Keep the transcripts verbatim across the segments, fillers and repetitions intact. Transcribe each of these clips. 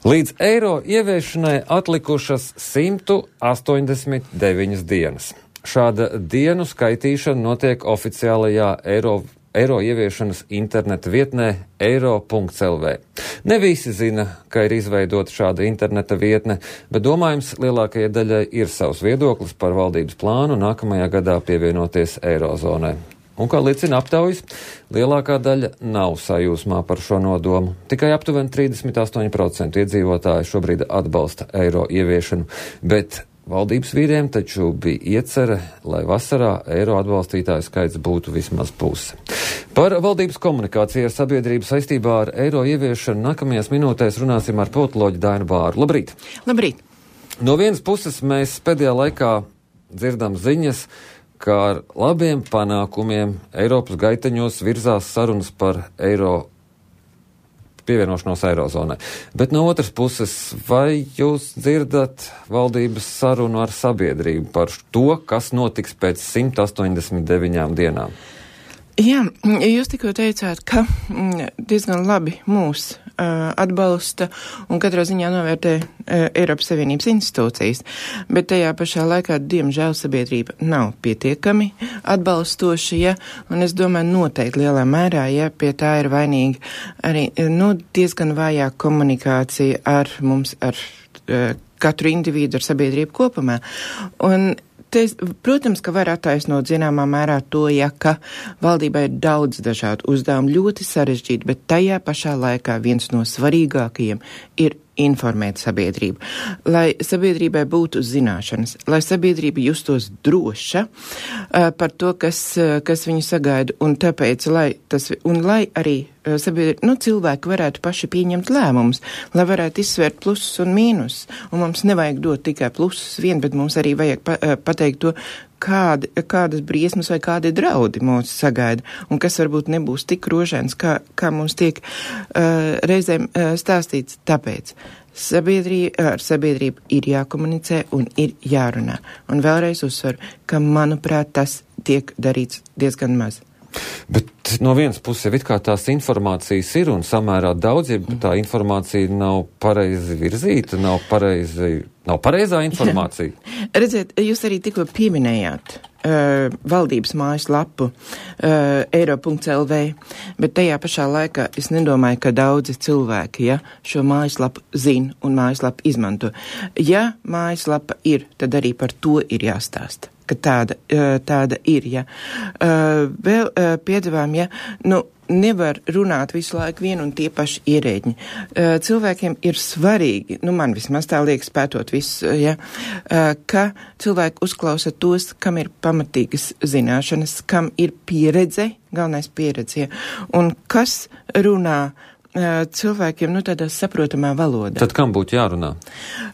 Līdz eiro ieviešanai atlikušas simt astoņdesmit deviņas dienas. Šāda dienu skaitīšana notiek oficiālajā eiro, eiro ieviešanas interneta vietnē eiro punkts el vē. Ne visi zina, ka ir izveidota šāda interneta vietne, bet domājams lielākajai daļai ir savs viedoklis par valdības plānu nākamajā gadā pievienoties eirozonai. Un, kā liecina aptaujas, lielākā daļa nav sajūsmā par šo nodomu. Tikai aptuveni trīsdesmit astoņi procenti iedzīvotāji šobrīd atbalsta eiro ieviešanu, bet valdības vīriem taču bija iecerē, lai vasarā eiro atbalstītāju skaits būtu vismaz puse. Par valdības komunikāciju ar sabiedrību saistībā ar eiro ieviešanu nākamajās minūtēs runāsim ar politoloģi Dainu Bāru. Labrīt! Labrīt! No vienas puses mēs pēdējā laikā dzirdam ziņas, ka ar labiem panākumiem Eiropas gaiteņos virzās sarunas par eiro pievienošanos eirozonai. Bet no otras puses, vai jūs dzirdat valdības sarunu ar sabiedrību par to, kas notiks pēc simt astoņdesmit deviņām dienām? Jā, jūs tikko teicāt, ka diezgan labi mūs uh, atbalsta un katrā ziņā novērtē uh, Eiropas Savienības institūcijas, bet tajā pašā laikā, diemžēl, sabiedrība nav pietiekami atbalstoša, ja, un es domāju noteikti lielā mērā, ja pie tā ir vainīga arī, nu, diezgan vājā komunikācija ar mums, ar uh, katru individu, ar sabiedrību kopumā. Un Te, protams, ka var attaisnot zināmā mērā to, ja ka valdībai ir daudz dažādu uzdevumu, ļoti sarežģīti, bet tajā pašā laikā viens no svarīgākajiem ir informēt sabiedrību, lai sabiedrībai būtu zināšanas, lai sabiedrība justos droša uh, par to, kas, uh, kas viņu sagaida, un tāpēc, lai tas, un lai arī uh, sabiedrība, nu, cilvēki varētu paši pieņemt lēmumus, lai varētu izsvērt plusus un mīnus, un mums nevajag dot tikai plusus vien, bet mums arī vajag pa, uh, pateikt to, Kādi, kādas briesmas vai kādi draudi mūs sagaida, un kas varbūt nebūs tik rožains, kā, kā mums tiek uh, reizēm uh, stāstīts. Tāpēc sabiedrība, ar sabiedrību ir jākomunicē un ir jārunā. Un vēlreiz uzsveru, ka, manuprāt, tas tiek darīts diezgan maz. Bet no vienas puses, it kā tās informācijas ir un samērā daudz, ja tā informācija nav pareizi virzīta, nav pareizi, nav pareizā informācija. Redziet, jūs arī tikko pieminējāt uh, valdības mājaslapu uh, eiro punkts el vē, bet tajā pašā laikā es nedomāju, ka daudzi cilvēki, ja, šo mājaslapu zina un mājaslapu izmanto. Ja mājaslapa ir, tad arī par to ir jāstāsta. Ka tāda, tāda ir, ja. Vēl piedāvājam, ja, nu, nevar runāt visu laiku vien un tie paši ierēģi. Cilvēkiem ir svarīgi, nu, man vismaz tā liekas pētot visu, ja, ka cilvēki uzklausa tos, kam ir pamatīgas zināšanas, kam ir pieredze, galvenais pieredze, ja, un kas runā cilvēkiem, nu, tādā saprotamā valodā. Tad kam būtu jārunā?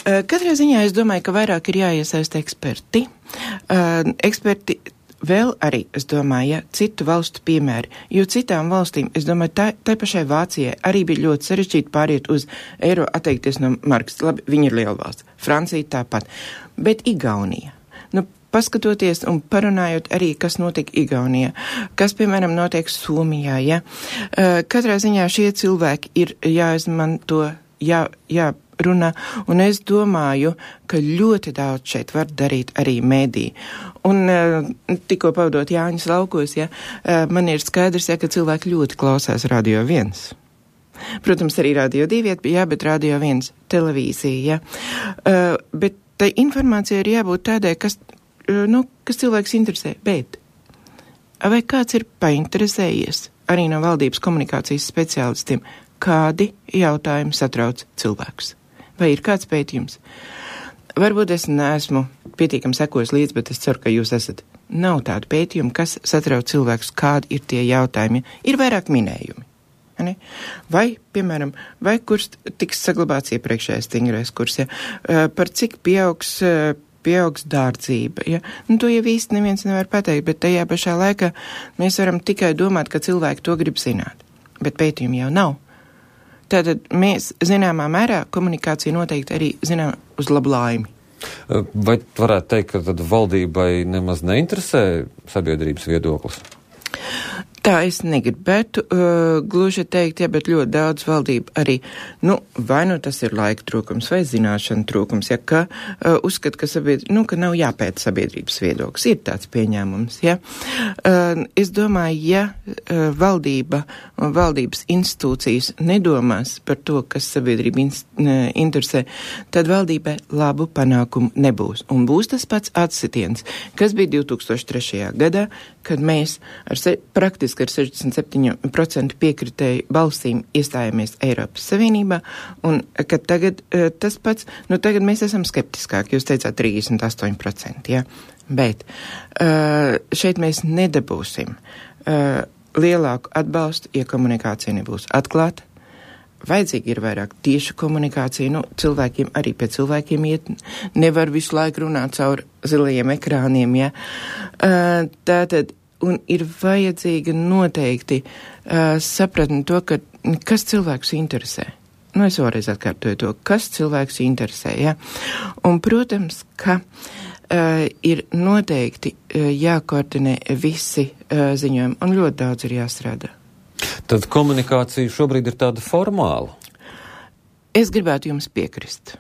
Katrā ziņā es domāju, ka vairāk ir jāiesaista eksperti. Eksperti vēl arī, es domāju, ja, citu valstu piemēri, jo citām valstīm, es domāju, tā, tā pašai Vācijai arī bija ļoti sarežģīti pāriet uz eiro, atteikties no markas. Labi, viņi ir liela valsts. Francija tāpat. Bet Igaunija. Nu, paskatoties un parunājot arī, kas notiek Igaunijā, kas, piemēram, notiek Somijā, ja. Katrā ziņā šie cilvēki ir jāizmanto, jā, jārunā, un es domāju, ka ļoti daudz šeit var darīt arī mēdī. Un tikko pavadot Jāņas laukos, ja, man ir skaidrs, ja, ka cilvēki ļoti klausās Radio viens. Protams, arī Radio divi, jā, bet Radio viens televīzija, ja. Bet tai informācija ir jābūt tādai, kas Nu, kas cilvēks interesē, bet vai kāds ir painteresējies arī no valdības komunikācijas speciālistiem, kādi jautājumi satrauc cilvēkus? Vai ir kāds pētījums? Varbūt es neesmu pietiekami sekojis līdz, bet es ceru, ka jūs esat. Nav tādu pētījumu, kas satrauc cilvēkus, kādi ir tie jautājumi. Ir vairāk minējumi. Ne? Vai, piemēram, vai kurs tiks saglabāts iepriekšējais stingrais kurs, ja? Par cik pieaugs pieaugs dārdzība, ja? Nu, to jau īsti neviens nevar pateikt, bet tajā pašā laikā mēs varam tikai domāt, ka cilvēki to grib zināt. Bet pētījumi jau nav. Tātad mēs zināmā mērā komunikācija noteikti arī zinām uz labu laimi. Vai varētu teikt, ka tad valdībai nemaz neinteresē sabiedrības viedoklis? Tā es negribētu uh, gluži teikt, ja, bet ļoti daudz valdība arī, nu, vai nu tas ir laika trūkums vai zināšana trūkums, ja, ka uh, uzskat, ka, sabiedr... nu, ka nav jāpēta sabiedrības viedoklis. Ir tāds pieņēmums, ja. Uh, es domāju, ja uh, valdība un valdības institūcijas nedomās par to, kas sabiedrība in- interesē, tad valdībai labu panākumu nebūs. Un būs tas pats atsitiens, kas bija divi tūkstoši trešajā gadā, kad mēs ar se- praktiski ar sešdesmit septiņu procentu piekritēju balsīm iestājāmies Eiropas Savienībā, un kad tagad uh, tas pats, nu tagad mēs esam skeptiskāki, jūs teicāt trīsdesmit astoņi procenti, jā, bet uh, šeit mēs nedabūsim uh, lielāku atbalstu, ja komunikācija nebūs atklāta. Vajadzīgi ir vairāk tieša komunikācija, nu, cilvēkiem arī pie cilvēkiem iet, nevar visu laiku runāt caur zilajiem ekrāniem, ja. Uh, tātad, un ir vajadzīga noteikti uh, sapratni to, ka, kas cilvēkus interesē. Nu, es vēlreiz atkārtoju to, kas cilvēkus interesē, ja. Un, protams, ka uh, ir noteikti uh, jākoordinē visi uh, ziņojumi, un ļoti daudz ir jāstrādā. Tad komunikācija šobrīd ir tāda formāla? Es gribētu jums piekrist.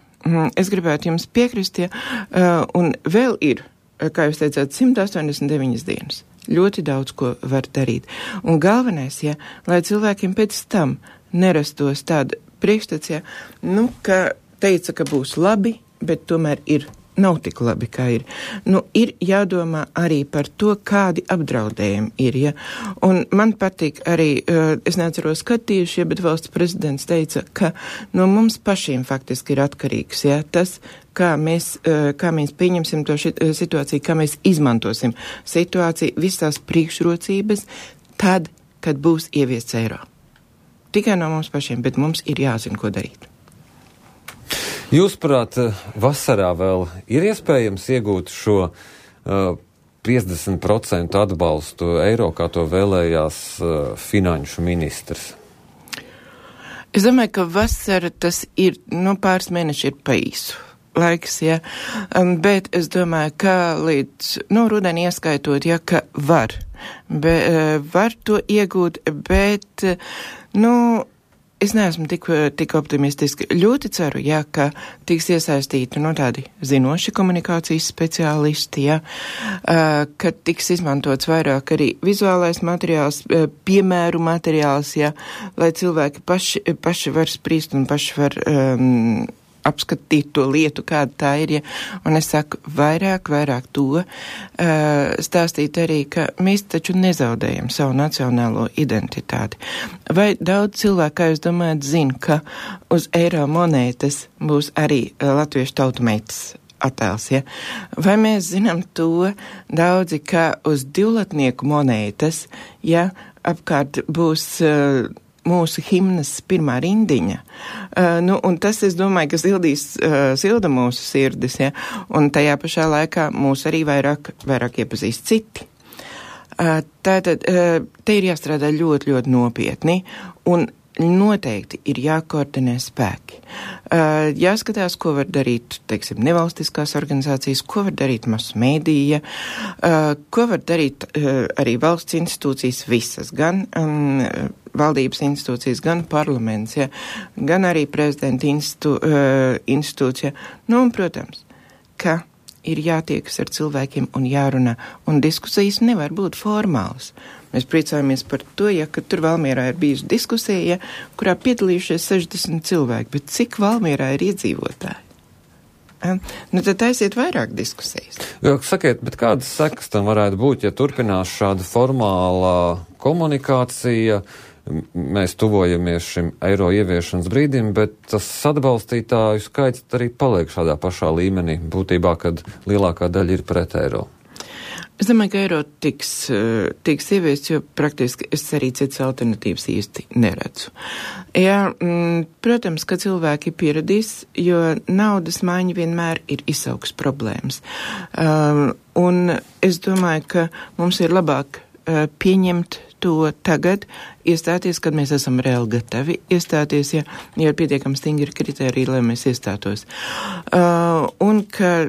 Es gribētu jums piekrist, ja, un vēl ir, kā jūs teicāt, simt astoņdesmit deviņas dienas. Ļoti daudz, ko var darīt. Un galvenais, ja, lai cilvēkiem pēc tam nerastos tāda priekšstats, ja, nu, ka teica, ka būs labi, bet tomēr ir. Nav tik labi, kā ir. Nu, ir jādomā arī par to, kādi apdraudējumi ir, ja. Un man patīk arī, uh, es neatceros skatījuši, ja, bet valsts prezidents teica, ka no mums pašiem faktiski ir atkarīgs, ja, tas, kā mēs, uh, kā mēs pieņemsim to šit, uh, situāciju, kā mēs izmantosim situāciju, visās priekšrocības, tad, kad būs ieviests eiro. Tikai no mums pašiem, bet mums ir jāzina, ko darīt. Jūsuprāt, vasarā vēl ir iespējams iegūt šo uh, piecdesmit procentu atbalstu eiro, kā to vēlējās uh, finanšu ministrs? Es domāju, ka vasara tas ir, nu, pāris mēneši ir pa īsu laiks, ja, um, bet es domāju, ka līdz, nu, rudeni ieskaitot, ja, ka var, be, uh, var to iegūt, bet, uh, nu, es neesmu tik, tik optimistiski. Ļoti ceru, jā, ka tiks iesaistīti no tādi zinoši komunikācijas speciālisti, jā, ka tiks izmantots vairāk arī vizuālais materiāls, piemēru materiāls, jā, lai cilvēki paši, paši var spriest un paši var um, apskatīt to lietu, kāda tā ir, ja. Un es saku, vairāk, vairāk to uh, stāstīt arī, ka mēs taču nezaudējam savu nacionālo identitāti. Vai daudz cilvēku, kā jūs domājat, zina, ka uz eiro monētas būs arī uh, latviešu tautumeitas attēls, ja? Vai mēs zinām to daudzi, ka uz divlatnieku monētas, ja, apkārt būs uh, mūsu himnas pirmā rindiņa. Uh, nu, un tas, es domāju, ka sildīs, uh, silda mūsu sirdis, ja, un tajā pašā laikā mūs arī vairāk, vairāk iepazīst citi. Uh, tātad, uh, te ir jāstrādā ļoti, ļoti nopietni, un noteikti ir jākoordinē spēki. Uh, jāskatās, ko var darīt, teiksim, nevalstiskās organizācijas, ko var darīt masu mēdīja, uh, ko var darīt uh, arī valsts institūcijas visas, gan um, valdības institūcijas, gan parlaments, ja, gan arī prezidenta institū, uh, institūcija. Nu, un, protams, ka ir jātiekas ar cilvēkiem un jārunā, un diskusijas nevar būt formālas. Mēs priecājamies par to, ja, ka tur Valmierā ir bijusi diskusija, ja, kurā piedalījušies sešdesmit cilvēki, bet cik Valmierā ir iedzīvotāji? Ja? Nu, tad aiziet vairāk diskusijas. Jā, sakiet, bet kādas sekas tam varētu būt, ja turpinās šāda formālā komunikācija? Mēs tuvojamies šim eiro ieviešanas brīdim, bet tas atbalstītāju skaits arī paliek šādā pašā līmenī, būtībā, kad lielākā daļa ir pret eiro. Es domāju, ka eiro tiks, tiks ieviests, jo praktiski es arī citas alternatīvas īsti neredzu. Jā, m, protams, ka cilvēki pieradīs, jo naudas maiņa vienmēr ir izsauks problēmas. Um, un es domāju, ka mums ir labāk uh, pieņemt to tagad, iestāties, kad mēs esam reāli gatavi iestāties, ja, ja ir pietiekami stingri kriteriji, lai mēs iestātos. Uh, un ka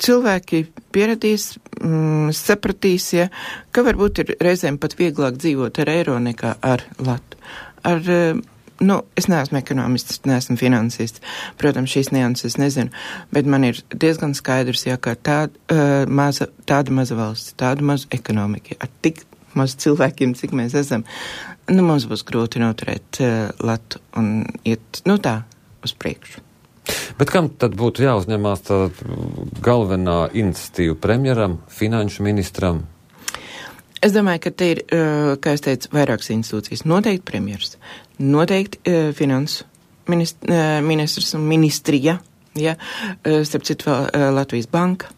cilvēki pieradīs, mm, sapratīs, ja, ka varbūt ir reizēm pat vieglāk dzīvot ar eiro nekā ar latu. Ar, uh, nu, es neesmu ekonomists, neesmu finansists, protams, šīs nianses nezinu, bet man ir diezgan skaidrs, ja, ka tā, uh, maza, tāda maza valsts, tāda maza ekonomika, ar tik maz cilvēkiem, cik mēs esam, nu, mums būs grūti noturēt uh, latu un iet, nu tā, uz priekšu. Bet kam tad būtu jāuzņemās tā galvenā iniciatīva premjeram, finanšu ministram? Es domāju, ka te ir, uh, kā es teicu, vairākas institūcijas. Noteikti premjers, noteikti uh, finansu minist, uh, ministrs un ministrija, ja, uh, starp citu vēl uh, Latvijas banka.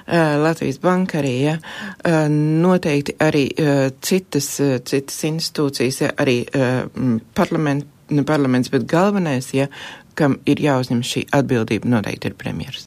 Uh, Latvijas banka arī, ja, uh, noteikti arī uh, citas, uh, citas institūcijas, ja, arī uh, parlament, ne parlaments, bet galvenais, ja, kam ir jāuzņem šī atbildība, noteikti ir premjers.